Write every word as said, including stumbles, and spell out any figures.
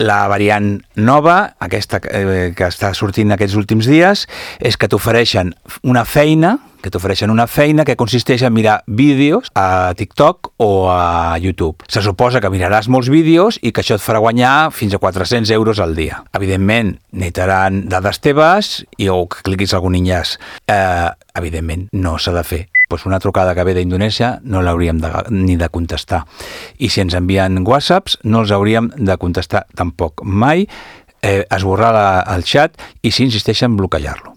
La variant nova, aquesta eh, que està sortint aquests últims dies, és que t'ofereixen una feina, que t'ofereixen una feina que consisteix en mirar vídeos a TikTok o a YouTube. Se suposa que miraràs molts vídeos i que això et farà guanyar fins a quatre-cents euros al dia. Evidentment, necessitaran dades teves i o que cliquis algun enllaç. Eh, evidentment, no s'ha de fer. Pues una trucada que ve d'Indonèsia no l'hauríem de, ni de contestar. I si ens envien whatsapps, no els hauríem de contestar tampoc mai, eh, esborrar la, el xat i si insisteixen, bloquejar-lo.